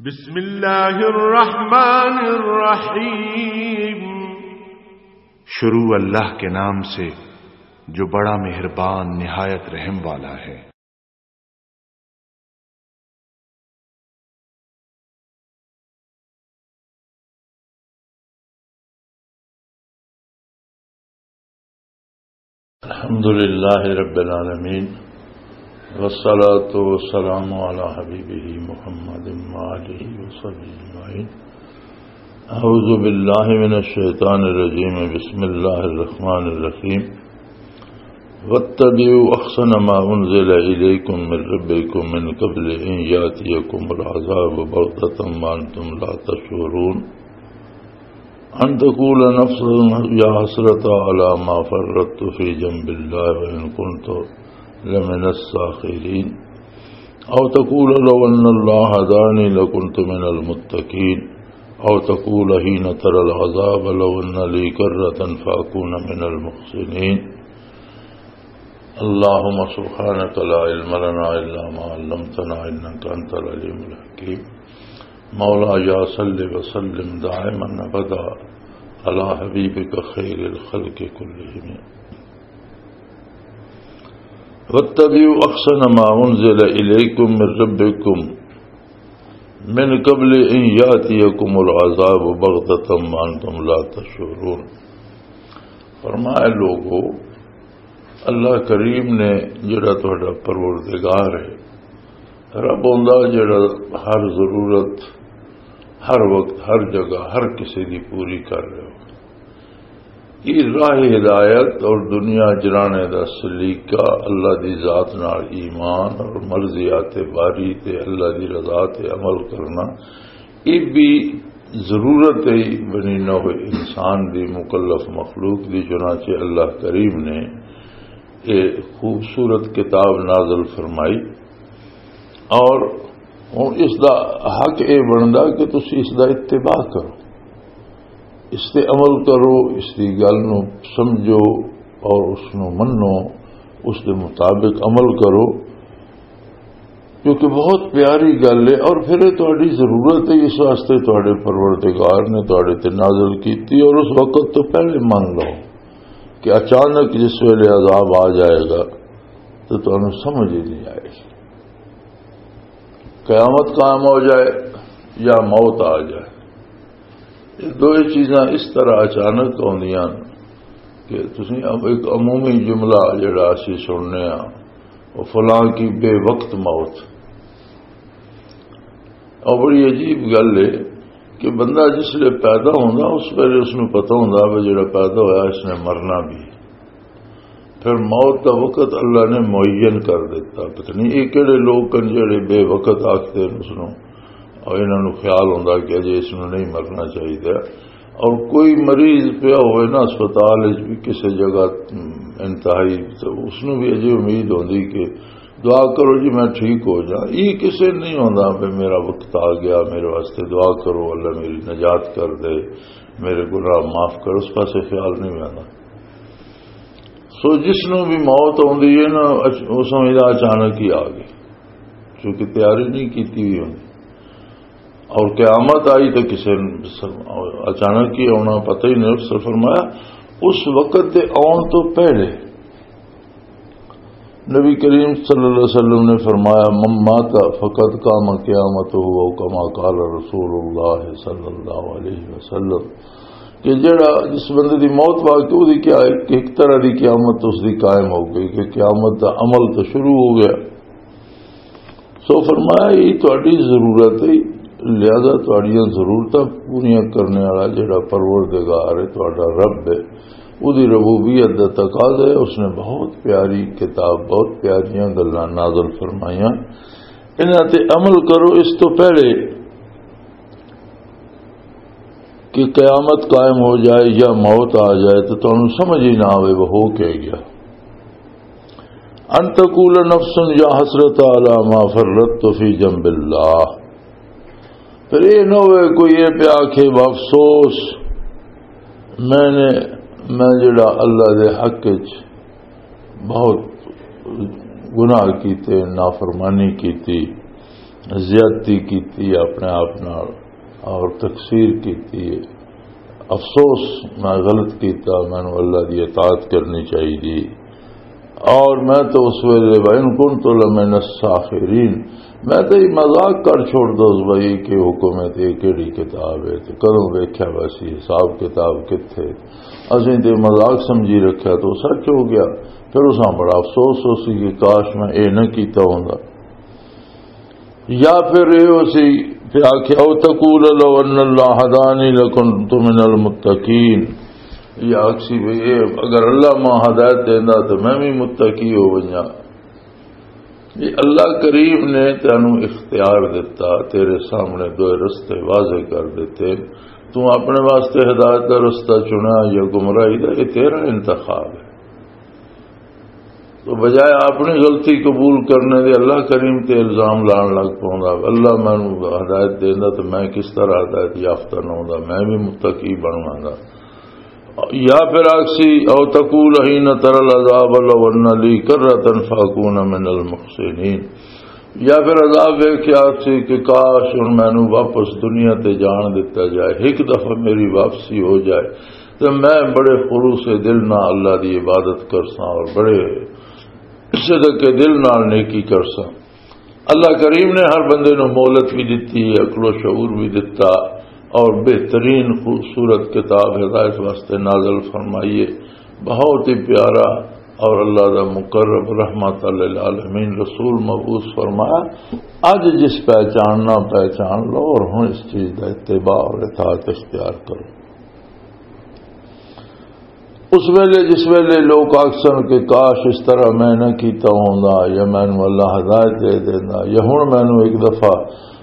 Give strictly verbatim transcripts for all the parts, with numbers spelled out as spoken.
بسم اللہ الرحمن الرحیم۔ شروع اللہ کے نام سے، جو بڑا مہربان، نہایت رحم والا ہے۔ الحمد لله رب العالمين، والصلاة والسلام على حبيبه محمد وآله وصحبه أجمعين. أعوذ بالله من الشيطان الرجيم. بسم الله الرحمن الرحيم. واتبعوا أحسن ما أنزل إليكم من ربكم من قبل أن يأتيكم العذاب بغتة وأنتم لا تشعرون. أن تقول نفس يا حسرة على ما فرطت في جنب الله وإن كنت لمن الساخرين. أو تقول لو أن الله هداني لكنت من المتقين. أو تقول حين ترى العذاب لو أن لي كرة فأكون من المحسنين. اللهم سبحانك لا علم لنا إلا ما علمتنا إنك أنت العليم الحكيم. مولاي صل وسلم دائما أبدا على حبيبك خير الخلق كلهم. واتبعوا أحسن ما أنزل إليكم من ربكم من قبل أن يأتيكم العذاب بغتة وأنتم لا تشعرون. فرمایا، لوگو، اللہ کریم نے، جڑا تہاڈا پروردگار ہے، رب ہوندا جڑا ہر ضرورت، ہر وقت، ہر جگہ، ہر کسی دی پوری کر رہے ہو۔ یہ راہ ہدایت اور دنیا جرانے دا سلیقہ، اللہ دی ذات نال ایمان اور مرضیات باری تے اللہ دی رضا تے عمل کرنا، یہ بھی ضرورت ہے بنی نوع انسان دی، مکلف مخلوق دی۔ چنانچہ اللہ کریم نے یہ خوبصورت کتاب نازل فرمائی، اور ہن اس دا حق یہ بندا کہ تسی اس دا اتباع کرو، اس تے عمل کرو، اس دی گل نو سمجھو اور اس نو منو، اس دے مطابق عمل کرو، کیونکہ بہت پیاری گل ہے۔ اور پھر یہ تہاڈی ضرورت ہے، اس واسطے تہاڈے پروردگار نے تہاڈے تے نازل کیتی، اور اس وقت تو پہلے من لو کہ اچانک جس ویلے عذاب آ جائے گا تو تانوں سمجھ ہی نہیں آئے گی۔ قیامت قائم ہو جائے یا موت آ جائے، یہ دو چیزاں اس طرح اچانک آندیاں کہ تسیں اب ایک عمومی جملہ جڑا اسی سننے ہاں، وہ فلاں کی بے وقت موت۔ اور بڑی عجیب گل ہے کہ بندہ جس لئے پیدا ہوندا، اس ویلے اس نوں پتہ ہوندا بھی جڑا پیدا ہویا اس نے مرنا بھی۔ پھر موت دا وقت اللہ نے معین کر دیتا۔ پتہ نہیں یہ کہڑے لوگ کن جڑے بے وقت آکھتے ہیں اس نوں، اور انہاں نوں خیال ہوندا کہ اجے اس نوں نہیں مرنا چاہیے۔ اور کوئی مریض پیا ہوئے نا اسپتال وچ بھی کسی جگہ، ام، انتہائی، تو اس نوں بھی اجے امید ہوندی کہ دعا کرو جی میں ٹھیک ہو جاؤں۔ یہ کسے نہیں ہوندا بھی میرا وقت آ گیا، میرے واسطے دعا کرو، اللہ میری نجات کر دے، میرے گناہ معاف کر، اس پاسے خیال نہیں آندا۔ سو جس نوں بھی موت آندی ہے نا، اچ-، وہ سمجھدا اچانک ہی آ گئی، کیونکہ تیاری نہیں کیتی ہوئی ہوندی۔ اور قیامت آئی تو کسے اچانک ہی آنا، پتہ ہی نہیں۔ اس نے فرمایا، اس وقت دے آن تو پہلے نبی کریم صلی اللہ علیہ وسلم نے فرمایا، "من مات فقد قام قیامتہ"، او کما قال رسول اللہ صلی اللہ علیہ وسلم، کہ جڑا جس بندے دی موت واقع، او دی کیا ہے کہ ایک طرح دی قیامت اس دی قائم ہو گئی، کہ قیامت دا عمل تو شروع ہو گیا۔ سو فرمایا، یہ تہاڈی ضرورت ہے، لہذا تہاڈیاں ضرورتاں پوریاں کرنے والا جڑا پروردگار ہے، تہاڈا رب ہے، او دی ربوبیت دا تقاضا ہے۔ اس نے بہت پیاری کتاب، بہت پیاریاں گلاں نازل فرمائیاں، انہاں تے عمل کرو۔ اس تو پہلے کہ قیامت قائم ہو جائے یا موت آ جائے تو تانوں سمجھ ہی نہ آوے وہ ہو کیا گیا۔ ان تقول نفس یا حسرت علی ما فرطت فی جنب اللہ۔ پھر یہ نہ ہوئے کوئی یہ پیا آکھے، "افسوس، میں نے، میں جڑا اللہ دے حق وچ بہت گناہ کیتے، نافرمانی کیتی، زیادتی کیتی اپنے آپ نال اور تقصیر کیتی ہے۔ افسوس، میں غلط کیتا، مینوں اللہ دی اطاعت کرنی چاہیے۔ اور میں تو اس ویلے، وَإِن كُنتُ لَمِنَ السَّاخِرِينَ، میں تو یہ مذاق کر چھوڑ دو اس بھائی کہ حکم ہے تے کیڑی کتاب ہے تے کدوں ویکھیا ویسی حساب کتاب کتھے، اسیں تے مذاق سمجھی رکھیا تو سچ ہو گیا۔ پھر اساں بڑا افسوس ہو سی کہ کاش میں اے نہ کیتا ہوندا۔ یا پھر یہ ہو سی کہ آکھیا، "او تقول لو ان اللہ ہدانی لکنت من المتقین"، یہ آکھ سی بھی اے اگر اللہ ماں ہدایت دیندا تو میں بھی متقی ہو ونجا۔ یہ اللہ کریم نے تینوں اختیار دتا، تیرے سامنے دو رستے واضح کر دیتے، تو اپنے واسطے ہدایت کا رستہ چنا یا گمراہی کا، یہ تیرا انتخاب ہے۔ تو بجائے اپنی غلطی قبول کرنے دے اللہ کریم تے الزام لان لگ پوندا، "اللہ مینوں ہدایت دیندا تے میں کس طرح ہدایت یافتہ نہ ہوندا، میں بھی متقی بنواں گا۔" یا پھر آکسی، "او تقول حین تر العذاب لو ان لی کرۃ فاکون من المحسنین۔" یا پھر عذاب ویکھ کے آکسی کہ کاش ہن مینوں واپس دنیا تے جان دتا جائے، ایک دفعہ میری واپسی ہو جائے، تے میں بڑے خلوص دل نال اللہ دی عبادت کرساں اور بڑے صدق دل نال نیکی کرساں۔ اللہ کریم نے ہر بندے نوں مہلت بھی دتی ہے، عقل و شعور بھی دتا، اور بہترین خوبصورت کتاب ہدایت واسطے نازل فرمائیے، بہت ہی پیارا۔ اور اللہ دا مقرب رحمت للعالمین رسول مبعوث فرمایا، اج جس پہچاننا پہچان لو، اور ہن اس چیز دا اتباع اور اطاعت اختیار کرو۔ اس ویلے، جس ویلے لوگ آکھسن کہ کاش اس طرح میں نہ کیتا ہوندا، یا مینوں اللہ ہدایت دے دیندا، یا ہن مینوں ایک دفعہ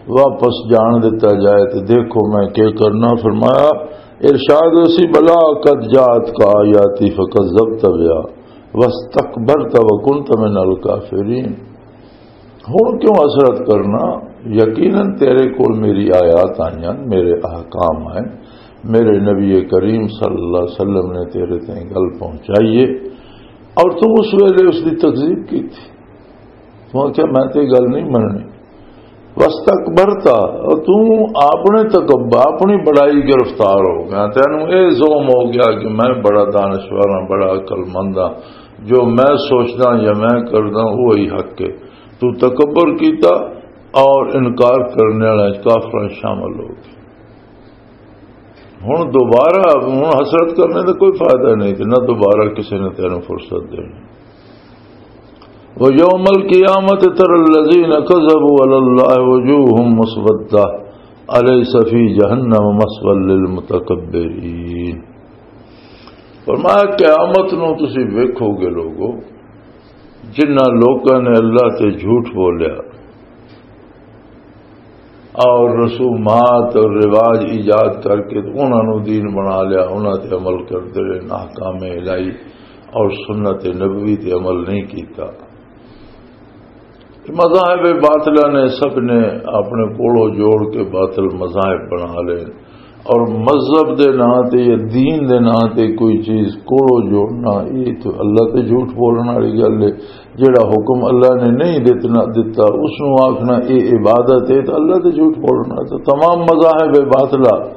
واپس جان دتا جائے تے دیکھو میں کیا کرنا۔ فرمایا، ارشاد اسی، "بلا قد جاءتک آیاتی فکذبت بها واستکبرت وکنت من الکافرین۔" ہن کیوں حسرت کرنا؟ یقیناً تیرے کول میری آیات آئیاں، میرے احکام آئے، میرے نبی کریم صلی اللہ علیہ وسلم نے تیرے تائیں گل پہنچائی ہے، اور تو اس ویلے اس دی تکذیب کی تھی۔ تو کیا میں تے گل نہیں مننی؟ واستکبرت، اور تو اپنے تکبر، اپنی بڑائی گرفتار ہو گیا، تینوں اے زوم ہو گیا کہ میں بڑا دانشور ہاں، بڑا عقل مند ہاں، جو میں سوچدا یا میں کردا وہی حق ہے۔ تو تکبر کیتا اور انکار کرنے والے کافراں شامل ہو گئے۔ ہن دوبارہ، ہن حسرت کرنے دا کوئی فائدہ نہیں، تے نہ دوبارہ کسی نے تینوں فرصت دینی۔ وَيَوْمَ الْقِيَامَةِ تَرَى الَّذِينَ كَذَبُوا عَلَى اللَّهِ وُجُوهُهُمْ مُسْوَدَّةٌ أَلَيْسَ فِي جَهَنَّمَ مَثْوًى لِلْمُتَكَبِّرِينَ۔ فرمایا، قیامت نو تسی ویکھو گے لوگو، جنہاں لوکاں نے اللہ تے جھوٹ بولیا اور رسومات اور رواج ایجاد کر کے انہاں نو دین بنا لیا، انہاں تے عمل کردے رہے، احکام الہی اور سنت نبوی تے عمل نہیں کیتا۔ مذاہب باطلہ نے، سب نے اپنے کوڑوں جوڑ کے باطل مذاہب بنا لے، اور مذہب دے نام تے یا دین دے نام تے کوئی چیز کوڑوں جوڑنا، یہ تو اللہ تے جھوٹ بولن والی گل ہے۔ جڑا حکم اللہ نے نہیں دتنا، دتا، اس نو آکھنا اے عبادت ہے، تو اللہ تے جھوٹ بولنا۔ تو تمام مذاہب باطلہ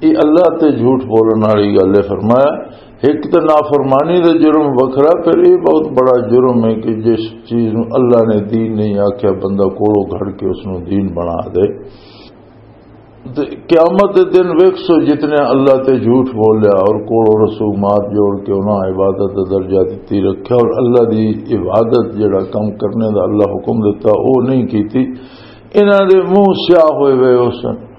یہ اللہ تے جھوٹ بولن والی گل ہے۔ فرمایا، ایک تے نافرمانی دا جرم وکھرا، پھر یہ بہت بڑا جرم ہے کہ جس چیز نو اللہ نے دین نہیں آکھیا، بندہ کوڑوں گھڑ کے اس نو دین بنا دے۔ تے قیامت دے دن ویکھسو، جتنے اللہ تے جھوٹ بولیا اور کوڑوں رسومات جوڑ کے انہاں عبادت دا درجہ دتی رکھیا اور اللہ دی عبادت، جڑا کم کرنے دا اللہ حکم دتا، او نہیں کیتی، انہاں دے منہ سیاہ ہوئے ہوئے ہو سن۔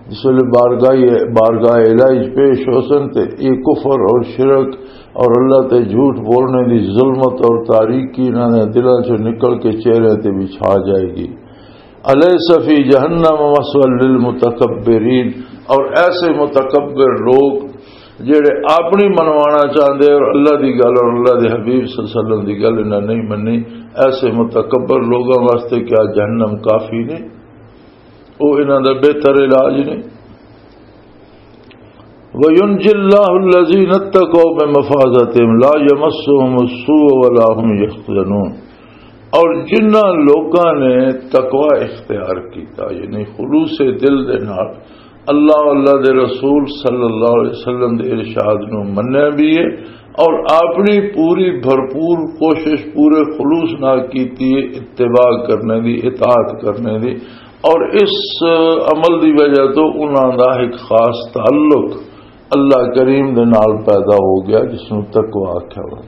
جس ویلے بارگاہ، بارگاہ الہی پیش ہو سن تے یہ کفر اور شرک اور اللہ تے جھوٹ بولنے دی ظلمت اور تاریکی انہاں دے دلاں چوں نکل کے چہرے تے بھی چھا جائے گی۔ الیس فی جہنم مثوی للمتکبرین، اور ایسے متکبر لوگ جڑے اپنی منوانا چاہندے اور اللہ دی گل اور اللہ دے حبیب صلی اللہ علیہ وسلم دی گل انہاں نہیں مننی، ایسے متکبر لوگوں واسطے کیا جہنم کافی نہیں؟ وہ انہاں دا بہتر علاج نہیں۔ وَيُنْجِي اللَّهُ الَّذِينَ اتَّقَوْا بِمَفَازَتِهِمْ لَا يَمَسُّهُمُ السُّوءُ وَلَا هُمْ يَحْزَنُونَ۔ اور جنہاں لوکاں نے تقوی اختیار کیتا، یعنی خلوص دل دے نال اللہ، اللہ دے رسول صلی اللہ علیہ وسلم دے ارشاد نو منیا بھی ہے، اور اپنی پوری بھرپور کوشش، پورے خلوص نال کیتی ہے اتباع کرنے دی، اطاعت کرنے دی، اور اس عمل دی وجہ تو انہاں دا ایک خاص تعلق اللہ کریم دے نال پیدا ہو گیا، جس نو تقوی آکھیا ہوا۔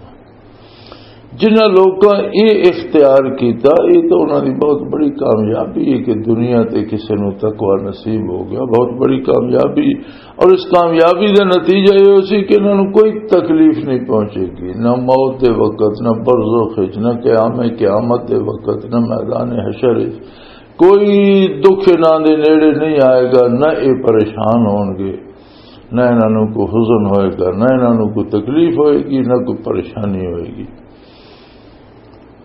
جنہاں لوکاں یہ اختیار کیتا، یہ تو انہاں دی بہت بڑی کامیابی ہے کہ دنیا تے کسے نو تقوی نصیب ہو گیا، بہت بڑی کامیابی۔ اور اس کامیابی دا نتیجہ یہ ہو سی کہ انہاں نو کوئی تکلیف نہیں پہنچے گی، نہ موت دے وقت، نہ برزخ وچ، نہ قیام قیامت دے وقت، نہ میدان حشر وچ۔ کوئی دکھ انہاں دے نیڑے نہیں آئے گا، نہ یہ پریشان ہون گے، نہ انہاں نوں کوئی حزن ہوئے گا، نہ انہاں نوں کوئی تکلیف ہوئے گی، نہ کوئی پریشانی ہوئے گی۔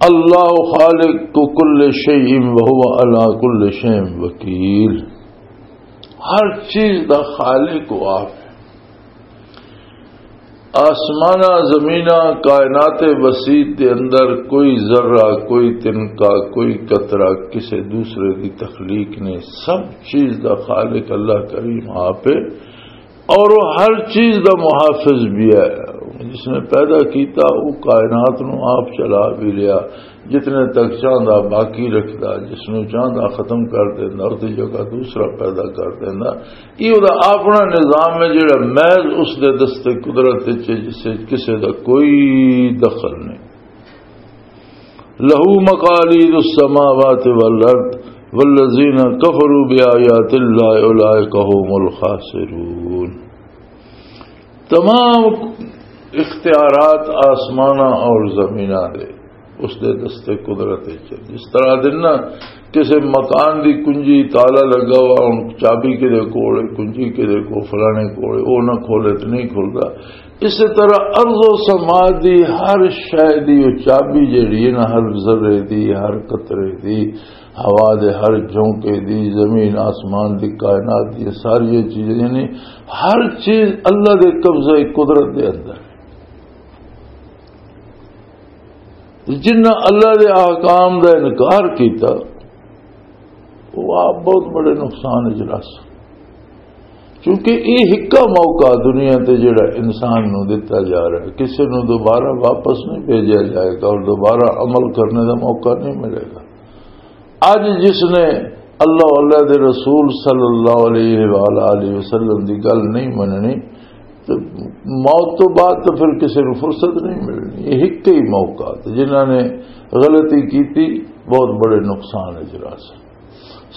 اللہ خالق کل شیء وهو علی کل شیء وکیل۔ ہر چیز دا خالق وہ آپ ہے۔ آسماناں، زمیناں، کائنات وسیع دے اندر کوئی ذرہ، کوئی تنکا، کوئی قطرہ کسے دوسرے دی تخلیق نہیں۔ سب چیز دا خالق اللہ کریم آپ ہے، اور وہ ہر چیز دا محافظ بھی ہے۔ جس نے پیدا کیتا، وہ کائنات نو آپ چلا بھی لیا۔ جتنے تک چاہندا باقی رکھدا، جس نو چاہندا ختم کر دیندا، اس دی جگہ دوسرا پیدا کر دیندا۔ یہ وہ اپنا نظام ہے، جڑا محض اس دے دست قدرت وچ ہے، جس وچ کسے دا کوئی دخل نہیں۔ لہو مقالید السماوات والارض والذین کفروا بآیات اللہ اولئک هم الخاسرون۔ تمام اختیارات آسماناں اور زمیناں دے اس دے دست قدرت وچ۔ جس طرح دن نہ کسے مکان دی کنجی، تالا لگا ہوا، ہن چابی کدے کول ہے، کنجی کدے کول، فلانے کول ہے، وہ نہ کھولے تے نہیں کھلدا۔ اسی طرح ارض و سما دی ہر شے دی وہ چابی جڑی ہے نا، ہر ذرے دی، ہر قطرے دی، ہوا دے ہر جھونکے دی، زمین آسمان دی، کائنات دی ساری چیزیں، یعنی ہر چیز اللہ دے قبضہ قدرت دے اندر۔ جنہاں اللہ دے احکام دا انکار کیتا، وہ آپ بہت بڑے نقصان وچ رس۔ کیونکہ یہ ہکا موقع دنیا تے جڑا انسان نو دتا جا رہا ہے، کسے نو دوبارہ واپس نہیں بھیجا جائے گا اور دوبارہ عمل کرنے دا موقع نہیں ملے گا۔ اج جس نے اللہ، اللہ دے رسول صلی اللہ علیہ وآلہ وسلم دی گل نہیں مننی، تے موت تو بعد تو پھر کسی نوں فرصت نہیں ملنی۔ یہ ایک ہی موقع تے جنہاں نے غلطی کیتی، بہت بڑے نقصان اچ رہسن۔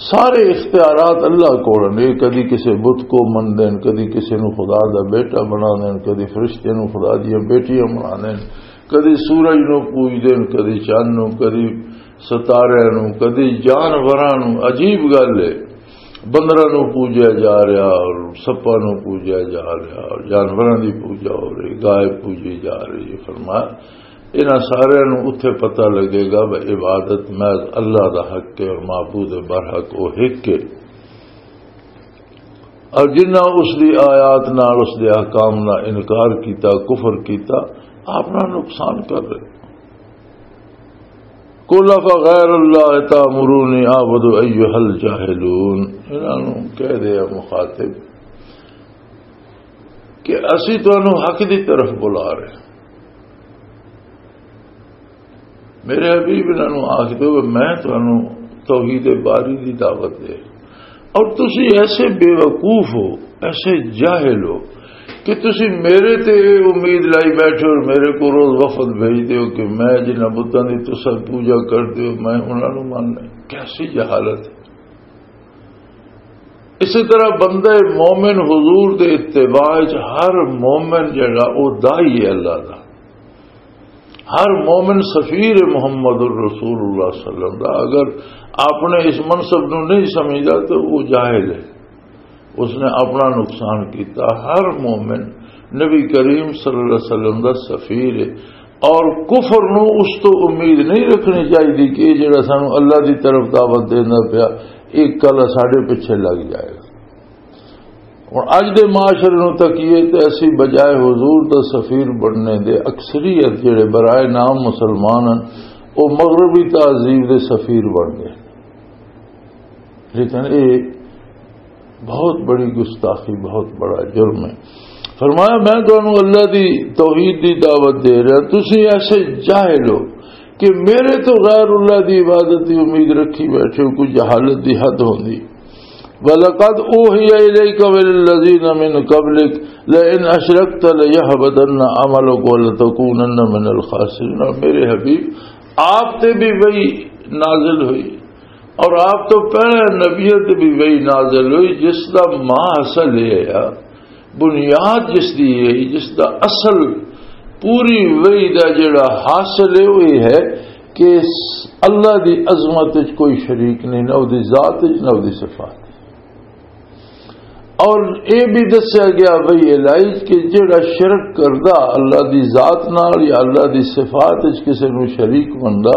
سارے اختیارات اللہ کول نے، کدی کسی بت کو من دین، کدی کسی نوں خدا دا بیٹا بنا دین، کدی فرشتے نوں خدا دیاں بیٹیاں بنا دین، کدی سورج نوں پوج دین، کدی چند نوں، کدی ستارے نوں، کدی جانوراں نوں۔ عجیب گل ہے، بندراں نوں پوجیا جا رہا اور سپاں نوں پوجیا جا رہا اور جانوراں دی پوجا ہو رہی، گائے پوجی جا رہی ہے۔ فرمایا، انہاں سارے نوں اتھے پتہ لگے گا کہ عبادت محض اللہ دا حق ہے اور معبود برحق او ہک ہے۔ اور جنہاں اس دی آیات نال، اس دے احکام نال انکار کیتا، کفر کیتا، اپنا نقصان کر رہے۔ قل افغیر اللہ تأمرونی اعبد ایھا الجاہلون، انہاں نوں کہہ دے، اے مخاطب، کہ اسی تانوں حق دی طرف بلا رہے ہیں۔ میرے حبیب انہاں نوں آکھ دے، میں تانوں توحید باری دی دعوت دے، اور تسی ایسے بے وقوف ہو، ایسے جاہل ہو کہ تسی میرے تے امید لائی بیٹھے ہو اور میرے کو روز وفد بھیج دے ہو کہ میں جنہاں بتاں دی تساں پوجا کر دے ہو، میں انہاں نوں من لے۔ کیسی جہالت ہے۔ اسی طرح بندہ مومن حضور دے اتباع وچ ہر مومن جڑا، او داعی ہے اللہ دا۔ ہر مومن سفیر ہے محمد الرسول اللہ صلی اللہ علیہ وسلم دا۔ اگر آپ نے اس منصب نو نہیں سمجھدا تو وہ جاہل ہے، اس نے اپنا نقصان کیتا۔ ہر مومن نبی کریم صلی اللہ علیہ وسلم دا سفیر ہے، اور کفر نو اس تو امید نہیں رکھنی چاہیے کہ یہ جڑا سانو اللہ دی طرف دعوت دینا پیا، یہ کل ساڈے پیچھے لگ جائے گا۔ ہن اج دے معاشرے نوں تکیے تے اسی بجائے حضور دا سفیر بننے دے اکثریت جڑے برائے نام مسلمان ہن، وہ مغربی تہذیب دے سفیر بن گئے۔ لیکن یہ بہت بڑی گستاخی، بہت بڑا جرم ہے۔ فرمایا، میں تانوں اللہ دی توحید دی دعوت دے رہا، تسی ایسے جاہل ہو کہ میرے تو غیر اللہ دی عبادت دی امید رکھی بیٹھے ہو، کوئی جہالت دی حد ہوندی۔ وَلَقَدْ أُوحِيَ إِلَيْكَ وَإِلَى الَّذِينَ مِنْ قَبْلِكَ لَئِنْ أَشْرَكْتَ لَيَحْبَطَنَّ عَمَلُكَ وَلَتَكُونَنَّ مِنَ الْخَاسِرِينَ۔ اور میرے حبیب، آپ تے بھی وہی نازل ہوئی، اور آپ تو پہلے نبیوں تے بھی وہی نازل ہوئی، جس دا ماں اصل یہ ہے، بنیاد جس دی ہے، جس دا اصل پوری وحی دا جڑا حاصل ہے، وہ یہ ہے کہ اللہ دی عظمت وچ کوئی شریک نہیں، نہ دی ذات وچ، نہ دی صفات۔ اور یہ بھی دسیا گیا وحی الہی کہ جڑا شرک کردا اللہ دی ذات نال یا اللہ دی صفات وچ کسے نو شریک بندا،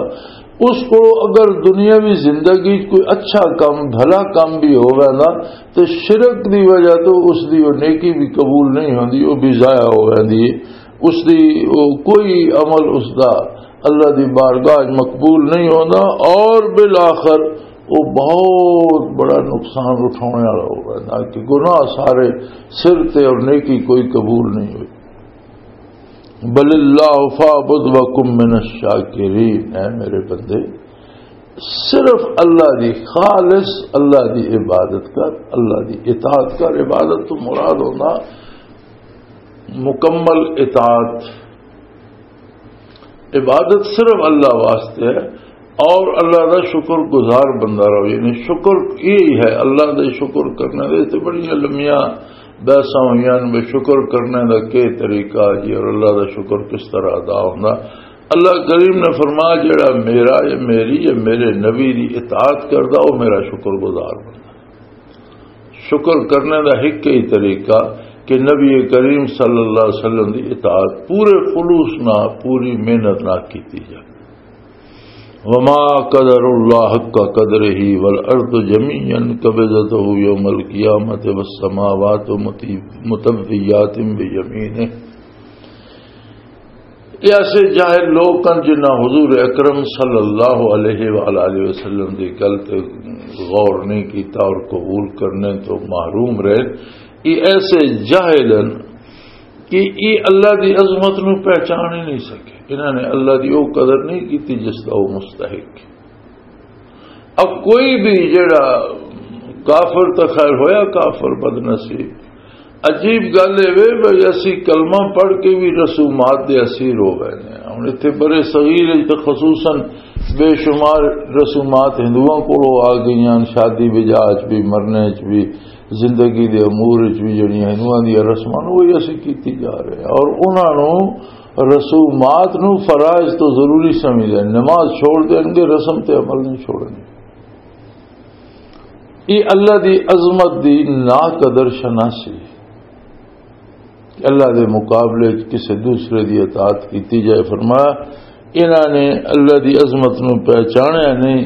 اس کو اگر دنیاوی زندگی کوئی اچھا کم، بھلا کم بھی ہووے نا، تو شرک دی وجہ تو اس دی وہ نیکی بھی قبول نہیں ہوندی، وہ بھی ضائع ہو جاندی ہے۔ اس دی وہ کوئی عمل اس دا اللہ دی بارگاہ وچ مقبول نہیں ہوندا، اور بالآخر وہ بہت بڑا نقصان اٹھانے والا ہو جاتا کہ گناہ سارے سر تے اور نیکی کوئی قبول نہیں ہوئی۔ بل اللہ فاعبد وکم من الشاکرین، اے میرے بندے، صرف اللہ دی، خالص اللہ دی عبادت کر، اللہ دی اطاعت کر۔ عبادت تو مراد ہونا مکمل اطاعت۔ عبادت صرف اللہ واسطے ہے اور اللہ دا شکر گزار بندہ رہو۔ یعنی شکر یہی ہے، اللہ دے شکر کرنے دے تے بڑیاں لمیاں بحثاں ہوئیاں نے، شکر کرنے دا کی طریقہ جی، اور اللہ دا شکر کس طرح ادا ہوندا۔ اللہ کریم نے فرمایا، جڑا میرا یا میری یا میرے نبی دی اطاعت کردا، وہ میرا شکر گزار بندہ۔ شکر کرنے دا ایک ہی طریقہ کہ نبی کریم صلی اللہ علیہ وسلم دی اطاعت پورے خلوص نہ، پوری محنت نہ کیتی جائے۔ وما قدر اللہ حق قدرہ والارض جمیعا قبضتہ یوم القیامۃ والسماوات مطویات بیمینہ۔ یہ ایسے جاہل لوگ ہیں جنہاں حضور اکرم صلی اللہ علیہ وآلہ وسلم دی گل تے غور نہیں کیتا اور قبول کرنے تو محروم رہے۔ یہ ایسے جاہل ہیں کہ یہ اللہ دی عظمت نو پہچان ہی نہیں سکے۔ انہاں نے اللہ دی وہ قدر نہیں کیتی جس دا وہ مستحق۔ اب کوئی بھی جڑا کافر، تو خیر ہویا کافر، بد نصیب۔ عجیب گل اے وے بھئی، اسی کلمہ پڑھ کے بھی رسومات دے اسیر ہو گئے نے۔ ہن اتھے برے صغیر وچ تے خصوصاً بے شمار رسومات ہندوؤں کولوں آ گئیاں، شادی بجا وچ بھی، مرنے وچ بھی، زندگی دے امور وچ بھی جڑیاں ہندوؤں دیاں رسماں نوں وہی اسی کیتی جا رہے ہیں اور انہاں نوں رسومات نوں فرائض تو ضروری سمجھ لیں، نماز چھوڑ دیں گے، رسم تے عمل نہیں چھوڑیں گے۔ یہ اللہ دی عظمت دی نا قدر شناسی کہ اللہ دے مقابلے وچ کسے دوسرے دی اطاعت کیتی جائے۔ فرمایا، انہاں نے اللہ دی عظمت نوں پہچانیا نہیں،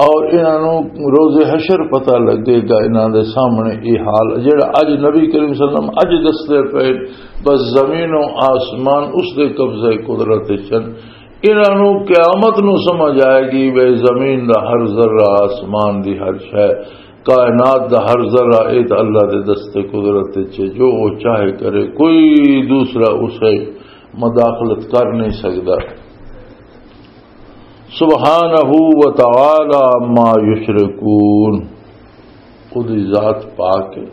اور انہاں نوں روز حشر پتہ لگے گا، انہاں دے سامنے یہ حال جڑا اج نبی کریم صلی اللہ علیہ وسلم اج دسدے پئے، بس زمین و آسمان اس دے قبضہ قدرت وچ ہن۔ انہاں نوں قیامت نوں سمجھ آئے گی، بے زمین دا ہر ذرہ، آسمان دی ہر شے، کائنات دا ہر ذرہ، اے تے اللہ دے دست قدرت وچ ہے، جو وہ چاہے کرے، کوئی دوسرا اسے مداخلت کر نہیں سکدا۔ سبحانہ و تعالی عما یشرکون، خود ہی ذات پاک ہے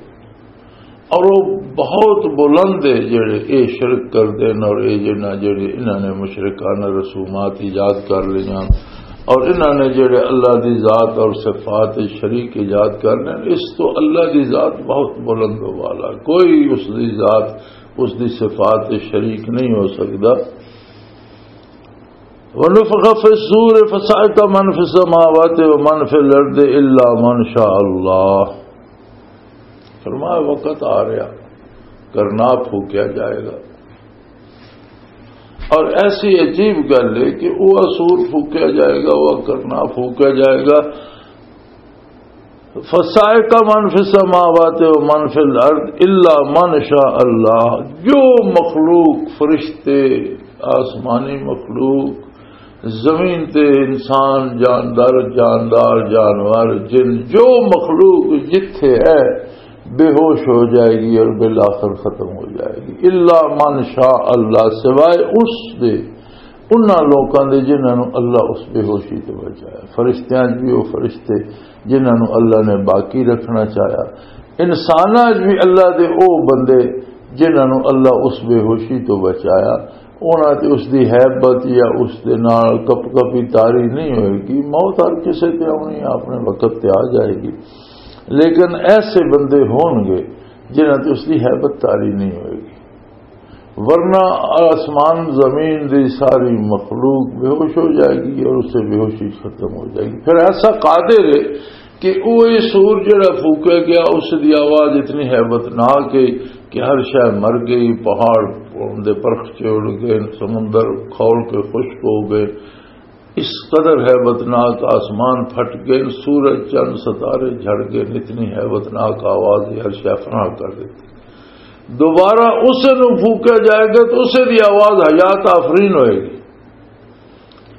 اور وہ بہت بلند ہے جڑے اے شرک کردے نے اور اے جنہاں جڑے انہاں نے مشرکانہ رسومات ایجاد کر لیاں اور انہاں نے جڑے اللہ دی ذات اور صفات شریک ایجاد کر لے، اس تو اللہ دی ذات بہت بلند و والا، کوئی اس دی ذات، اس دی صفات شریک نہیں ہو سکدا۔ ونفخ فی الصور فصعق من فی السماوات ومن فی الارض الا من شاء اللہ۔ فرمایا، وقت آ رہا، کرنا پھوکیا جائے گا۔ اور ایسی عجیب گل ہے کہ وہ سور پھوکیا جائے گا، وہ کرنا پھوکیا جائے گا۔ فصعق من فی السماوات و من فی الارض الا من شاء اللہ، جو مخلوق، فرشتے، آسمانی مخلوق، زمین تے انسان، جاندار، جاندار، جانور، جن، جو مخلوق جتھے ہے، بے ہوش ہو جائے گی اور بالآخر ختم ہو جائے گی۔ الا من شاء اللہ، سوائے اس دے، انہاں لوکاں دے جنہاں نوں اللہ اس بے ہوشی تو بچایا۔ فرشتیاں 'چ بھی وہ فرشتے جنہاں نوں اللہ نے باقی رکھنا چاہیا، انساناں 'چ بھی اللہ دے او بندے جنہاں نوں اللہ اس بے ہوشی تو بچایا، انہاں تے اس دی ہیبت یا اس دے نال کپ کپی طاری نہیں ہوئے گی۔ موت ہر کسے تے آونی ہے، اپنے وقت تے آ جائے گی، لیکن ایسے بندے ہون گے جنہاں تے اس دی ہیبت طاری نہیں ہوئے گی۔ ورنہ آسمان زمین دی ساری مخلوق بے ہوش ہو جائے گی اور اس سے بے ہوشی ختم ہو جائے گی۔ پھر ایسا قادر ہے کہ وہ یہ سور جڑا پھونکا گیا، اس دی آواز اتنی ہیبت ناک ہے کہ ہر شے مر گئی، پہاڑ دے پرخچے اڑ گئے، سمندر کھول کے خشک ہو گئے، اس قدر ہیبت ناک آسمان پھٹ گئے، سورج چند ستارے جھڑ گئے، اتنی ہیبت ناک آواز ہے، ہر شے فنا کر دیتی۔ دوبارہ اسے نو پھونکا جائے گا تو اسے دی آواز حیات آفرین ہوئے گی۔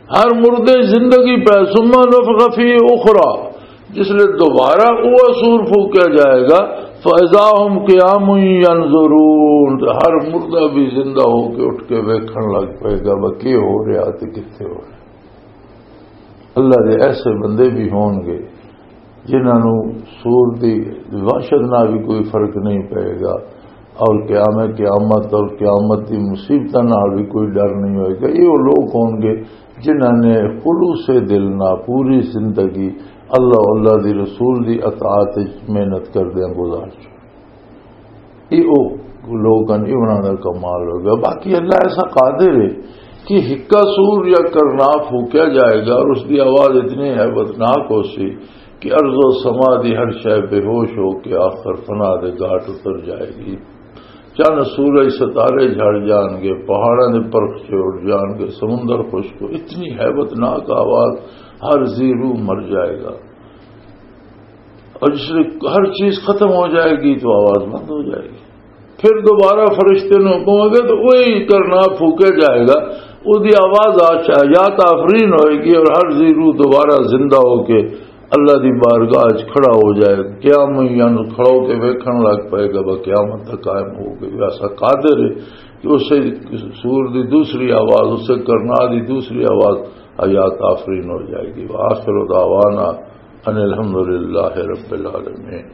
ہر مردے زندگی پہ، ثم نفخ فی اخرى، جس لئے دوبارہ وہ سور پھونکا جائے گا، فاذا هم قیام ینظرون، تو ہر مردہ بھی زندہ ہو کے اٹھ کے ویکھن لگ پائے گا، وہ کی ہو رہا تے کتھے ہو رہا۔ اللہ دے ایسے بندے بھی ہون گے جنہاں نوں سور دی وحشت نال بھی کوئی فرق نہیں پئے گا، اور قیام قیامت اور قیامت دی مصیبتاں نال بھی کوئی ڈر نہیں ہوئے گا۔ یہ وہ لوگ ہون گے جنہاں نے خلوص دل نال پوری زندگی اللہ، اللہ دی رسول دی اطاعت وچ محنت کردیاں گزار چکے۔ یہ وہ لوگ ہیں، یہ انہاں دا کمال ہو گیا۔ باقی اللہ ایسا قادر ہے کہ ہکا سور یا کرنا پھوکیا جائے گا اور اس دی آواز اتنی ہیبتناک ہو سی کہ ارض و سما دی ہر شے بے ہوش ہو کے آخر فنا دے گھاٹ اتر جائے گی۔ چند سورج ستارے جھڑ جان گے، پہاڑاں دے پرخچے اڑ جان گے، سمندر خشک ہو، اتنی ہیبتناک آواز، ہر ذی روح مر جائے گا۔ اور جس لئے ہر چیز ختم ہو جائے گی تو آواز بند ہو جائے گی۔ پھر دوبارہ فرشتے نوں کہو گے تو وہی کرنا پھوکیا جائے گا، اس دی آواز آ شاہیات آفرین ہوئے گی اور ہر ذی روح دوبارہ زندہ ہو کے اللہ دی بارگاہ وچ کھڑا ہو جائے گا۔ قیام یعنی کھڑا ہو کے ویکھن لگ پائے گا، بس قیامت تک قائم ہو گئی۔ ایسا قادر ہے کہ اسے سور دی دوسری آواز، اسے کرنا دی دوسری آواز حیات آفرین ہو جائے گی۔ وآخر دعوانا ان الحمد للہ رب العالمین۔